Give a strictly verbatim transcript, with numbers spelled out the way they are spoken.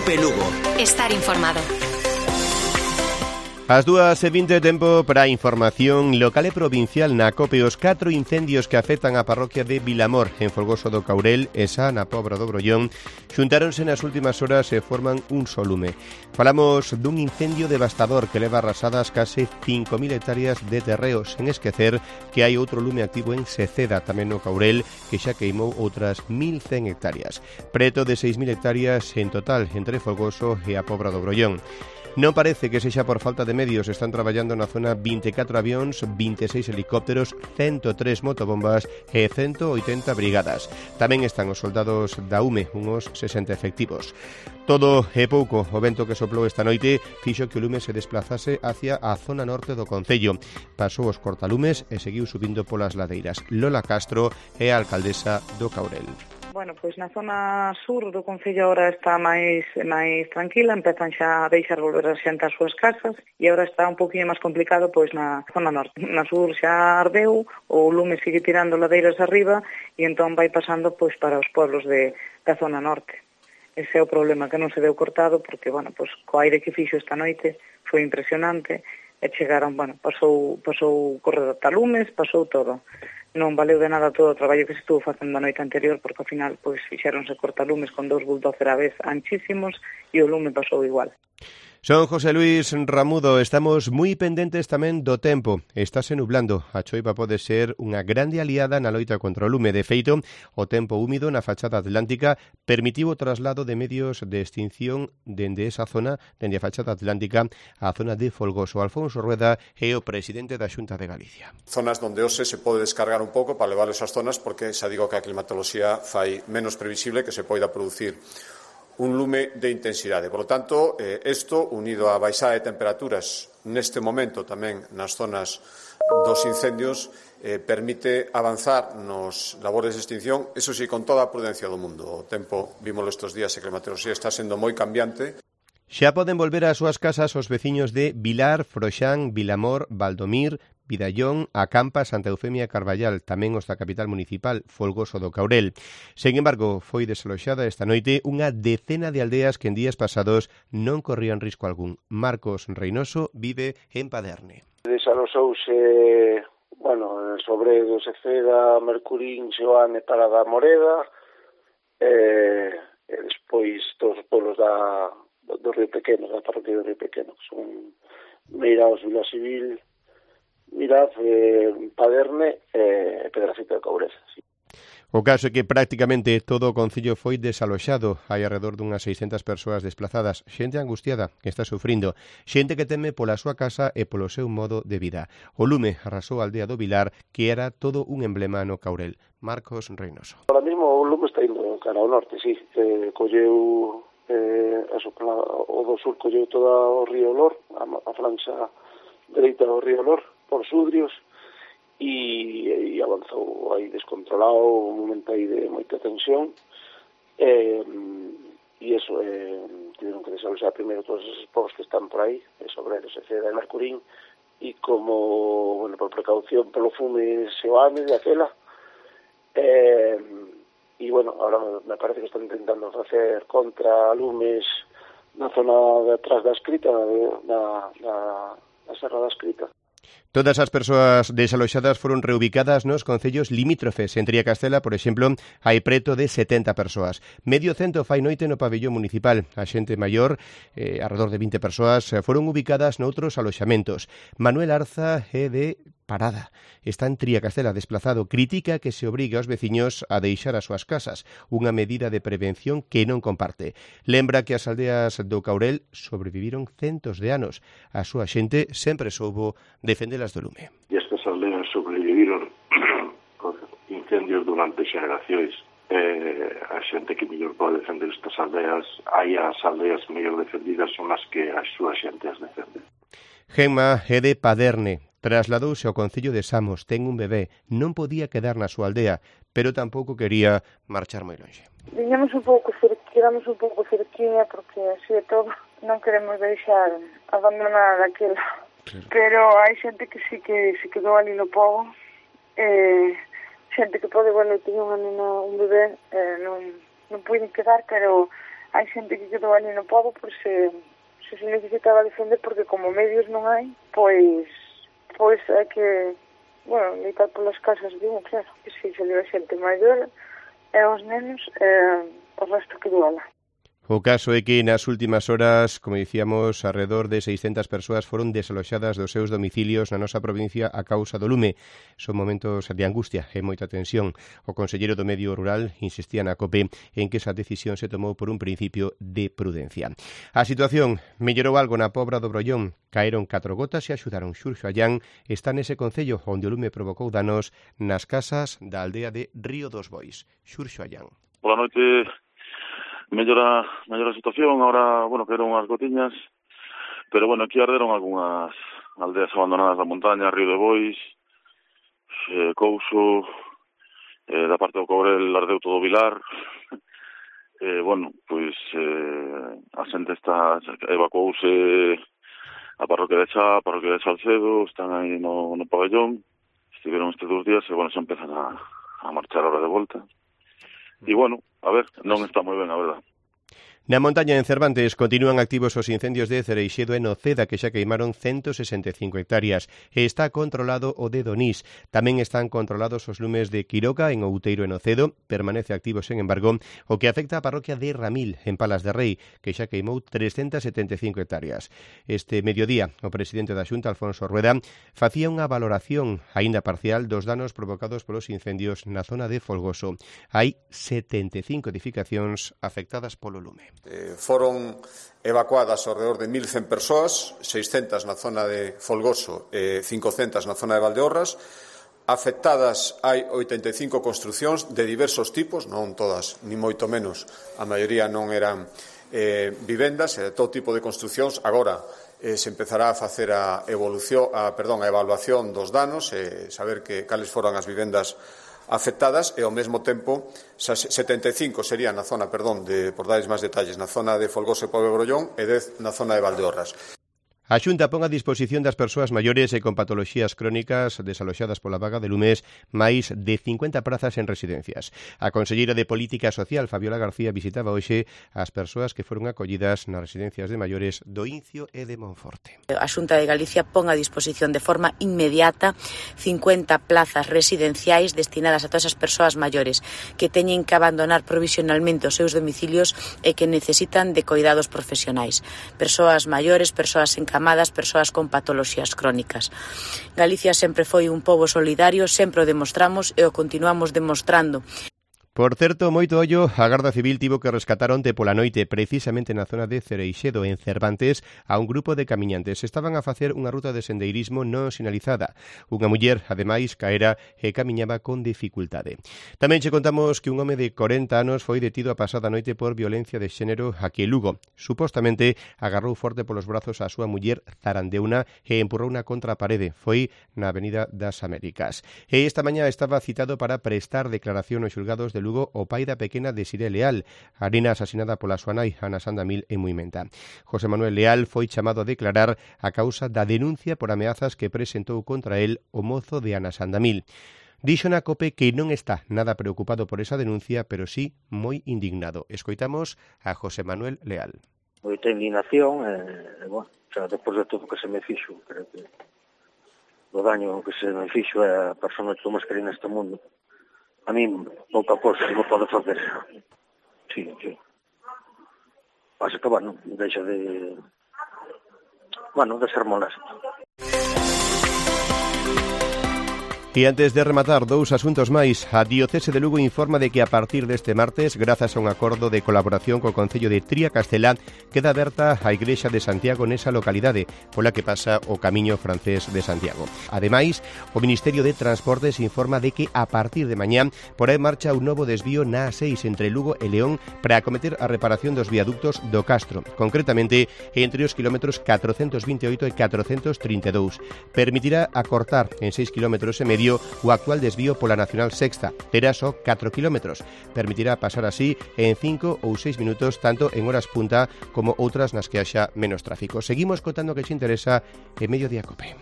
Cope Lugo. Estar informado. As dúas e vinte tempo para a información local e provincial na Cope. Os catro incendios que afectan a parroquia de Vilamor en Folgoso do Caurel e xa na Pobra do Brollón xuntáronse nas últimas horas e forman un só lume. Falamos dun incendio devastador que leva arrasadas case cinco mil hectáreas de terreo, sen esquecer que hai outro lume activo en Seceda, tamén no Caurel, que xa queimou outras mil cen hectáreas. Preto de seis mil hectáreas en total entre Folgoso e a Pobra do Brollón. Non parece que sexa por falta de medios. Están traballando na zona vinte e catro avións, vinte e seis helicópteros, ciento tres motobombas e ciento oitenta brigadas. Tamén están os soldados da U M E, uns sesenta efectivos. Todo é pouco. O vento que soplou esta noite fixo que o lume se desplazase hacia a zona norte do concello. Pasou os cortalumes e seguiu subindo polas ladeiras. Lola Castro é a alcaldesa do Caurel. Bueno, pois na zona sur do concello agora está máis máis tranquila, empezan xa a deixar volver a xente ás súas casas e agora está un poquinho máis complicado pois na zona norte. Na sur xa ardeu, o lume sigue tirando ladeiras arriba e entón vai pasando pois para os pueblos de, da zona norte. Ese é o problema, que non se deu cortado porque, bueno, pois co aire que fixo esta noite foi impresionante e chegaron, bueno, pasou, pasou corretalumes, pasou todo. Non valeu de nada todo o traballo que se estuvo facendo a noite anterior porque ao final pois fixéronse cortalumes con dous bulldozer a vez anchísimos e o lume pasou igual. Son José Luis Ramudo. Estamos moi pendentes tamén do tempo. Estáse nublando. A choiva pode ser unha grande aliada na loita contra o lume. De feito, o tempo húmido na fachada atlántica permitiu o traslado de medios de extinción dende esa zona, dende a fachada atlántica á zona de Folgoso. Alfonso Rueda é o presidente da Xunta de Galicia. Zonas donde hoxe se pode descargar un pouco para levar esas zonas porque xa digo que a climatoloxía fai menos previsible que se poida producir un lume de intensidade. Por lo tanto, eh, isto, unido á baixada de temperaturas neste momento tamén nas zonas dos incendios, eh, permite avanzar nos labores de extinción, eso sí, con toda a prudencia do mundo. O tempo, vímoslo estes días, e que a climatoloxía está sendo moi cambiante. Xa poden volver ás súas casas os veciños de Vilar, Froxán, Vilamor, Valdomir, Vidallón, Acampa, Santa Eufemia e Carballal, tamén os da capital municipal, Folgoso do Caurel. Sen embargo, foi desaloxada esta noite unha decena de aldeas que en días pasados non corrían risco algún. Marcos Reynoso vive en Paderne. Desaloxouse, bueno, Sobredo, Seceda, Mercurín, Xoane, Parada Moreda, e, e despois todos os polos da, do Río Pequeno, da parroquia do Río Pequeno, que son Meiraos, Vila Civil, Mirad, eh, Paderne e eh, Pedrafita de Coureza. Sí. O caso é que prácticamente todo o concello foi desaloxado. Hai alrededor dunhas seiscentas persoas desplazadas, xente angustiada que está sufrindo, xente que teme pola súa casa e polo seu modo de vida. O lume arrasou a aldea do Vilar, que era todo un emblema no Caurel. Marcos Reynoso. Ahora mismo o lume está indo cara ao norte, sí. Eh, colleu, eh, eso, o do sur colleu toda o río Olor, a, a franxa dereita do río Olor, por Sudrios, e, e avanzou aí descontrolado, un momento aí de moita tensión, e, e eso, eh, tiveron que desaloxar primeiro todos esos povos que están por aí, de Sobredo, Seceda e Mercurín, e como, bueno, por precaución polo fume Xoane de aquela, e, e bueno, ahora me parece que están intentando facer contra lumes na zona de atrás da Escrita, na, na, na Serra da Escrita. Todas as persoas desaloxadas foron reubicadas nos concellos limítrofes. En Triacastela, por exemplo, hai preto de setenta persoas. Medio cento fai noite no pabellón municipal. A xente maior, eh, alrededor de vinte persoas, foron ubicadas noutros aloxamentos. Manuel Arza é de Parada. Está en Triacastela desplazado. Critica que se obrigue aos veciños a deixar as súas casas, unha medida de prevención que non comparte. Lembra que as aldeas do Caurel sobreviviron centos de anos. A súa xente sempre soubo defendelas do lume. E estas aldeas sobreviviron con incendios durante xeracións. Eh, a xente que mellor pode defender estas aldeas, hai as aldeas mellor defendidas son as que a súa xente as defende. Gemma é de Paderne. Trasladouse ao concello de Samos, ten un bebé, non podía quedar na súa aldea, pero tampouco quería marchar moi longe. Viñamos un pouco cerquiramos un pouco cerquiña porque así de todo non queremos deixar abandonada aquela. Claro. Pero hai xente que sí que se quedou ali no pobo, eh, xente que pode, bueno, tiña unha nena, un bebé, eh, non, non puiden quedar, pero hai xente que quedou ali no pobo por se, se se necesitaba defender, porque como medios non hai, pois pois é que, bueno, litar polas casas de un, claro, que se salió a xente maior e os nenos, e o resto quedou alá. O caso é que nas últimas horas, como dicíamos, alrededor de seiscentas persoas foron desaloxadas dos seus domicilios na nosa provincia a causa do lume. Son momentos de angustia e moita tensión. O conselleiro do Medio Rural insistía na COPE en que esa decisión se tomou por un principio de prudencia. A situación mellorou algo na Pobra do Brollón. Caeron catro gotas e axudaron. Xurxo Allán está nese concello onde o lume provocou danos nas casas da aldea de Río dos Bois. Xurxo Allán. Boa noite. Mellora, mellora a situación, ahora, bueno, caeron unhas gotiñas, pero, bueno, aquí arderon algunhas aldeas abandonadas da montaña, Río de Bois, eh, Couso, eh, da parte do Cobrel ardeu todo o Vilar, eh, bueno, pois eh, a xente está, evacuouse a parroquia de Chá, a parroquia de Salcedo, están aí no, no pabellón, estiveron estes dos días e, bueno, xa empezan a, a marchar ahora de volta. E, bueno, a ver, non está moi ben, a verdade. Na montaña en Cervantes continúan activos os incendios de Cereixedo e Noceda, que xa queimaron ciento sesenta e cinco hectáreas. E está controlado o de Donís. Tamén están controlados os lumes de Quiroga en Outeiro e Nocedo. Permanece activo, sen embargo, o que afecta a parroquia de Ramil, en Palas de Rei, que xa queimou trescentas setenta e cinco hectáreas. Este mediodía, o presidente da Xunta, Alfonso Rueda, facía unha valoración, aínda parcial, dos danos provocados polos incendios na zona de Folgoso. Hai setenta e cinco edificacións afectadas polo lume. Eh, foron evacuadas ao redor de mil cen persoas, seiscentas na zona de Folgoso e cincocentas na zona de Valdeorras. Afectadas hai oitenta e cinco construcións de diversos tipos, non todas, ni moito menos, a maioría non eran eh, vivendas, e todo tipo de construcións. Agora eh, se empezará a facer a evolución, a, perdón, a evaluación dos danos e saber que cales foron as vivendas afectadas, e ao mesmo tempo setenta e cinco serían na zona, perdón, de, por dades máis detalles, na zona de Folgoso e Pobo de Brollón e dez na zona de Valdeorras. A Xunta pon a disposición das persoas maiores e con patoloxías crónicas desaloxadas pola vaga de lumes máis de cincuenta prazas en residencias. A conselleira de Política Social, Fabiola García, visitaba hoxe as persoas que foron acollidas nas residencias de maiores do Incio e de Monforte. A Xunta de Galicia pon a disposición de forma inmediata cincuenta plazas residenciais destinadas a todas as persoas maiores que teñen que abandonar provisionalmente os seus domicilios e que necesitan de coidados profesionais. Persoas maiores, persoas en amadas, persoas con patoloxías crónicas. Galicia sempre foi un pobo solidario, sempre o demostramos e o continuamos demostrando. Por certo, moito ollo, a Garda Civil tivo que rescatar onte pola noite, precisamente na zona de Cereixedo, en Cervantes, a un grupo de camiñantes. Estaban a facer unha ruta de sendeirismo non sinalizada. Unha muller, ademais, caera e camiñaba con dificultade. Tamén che contamos que un home de corenta anos foi detido a pasada noite por violencia de xénero aquí en Lugo. Supostamente agarrou forte polos brazos a súa muller, zarandeuna, e empurrouna contra a parede. Foi na Avenida das Américas. E esta mañá estaba citado para prestar declaración aos xulgados de Lugo o pai da pequena Desiré Leal, a nena asasinada pola súa nai, Ana Sandamil, en Muimenta. José Manuel Leal foi chamado a declarar a causa da denuncia por ameazas que presentou contra el o mozo de Ana Sandamil. Dixo na COPE que non está nada preocupado por esa denuncia, pero sí moi indignado. Escoitamos a José Manuel Leal. Moita indignación, e, bueno, xa depois de todo o que se me fixo, creo que o daño que se me fixo é a persona que máis querida neste mundo. A mí, pouca cosa non pode facer. Sí, sí. Pasa que, bueno, deixa de... Bueno, de ser molesto. E antes de rematar, dous asuntos máis. A Diocese de Lugo informa de que a partir deste martes, grazas a un acordo de colaboración co Concello de Tria-Castelá, queda aberta a Igrexa de Santiago nesa localidade, pola que pasa o Camiño Francés de Santiago. Ademais, o Ministerio de Transportes informa de que a partir de mañá porá en marcha un novo desvío na A seis entre Lugo e León para acometer a reparación dos viaductos do Castro, concretamente entre os kilómetros catrocentos vinte e oito e catrocentos trinta e dous. Permitirá acortar en seis kilómetros e medio o actual desvío pola Nacional Sexta, terá só catro kilómetros. Permitirá pasar así en cinco ou seis minutos, tanto en horas punta como outras nas que haxa menos tráfico. Seguimos contando que se interesa en Mediodía Cope.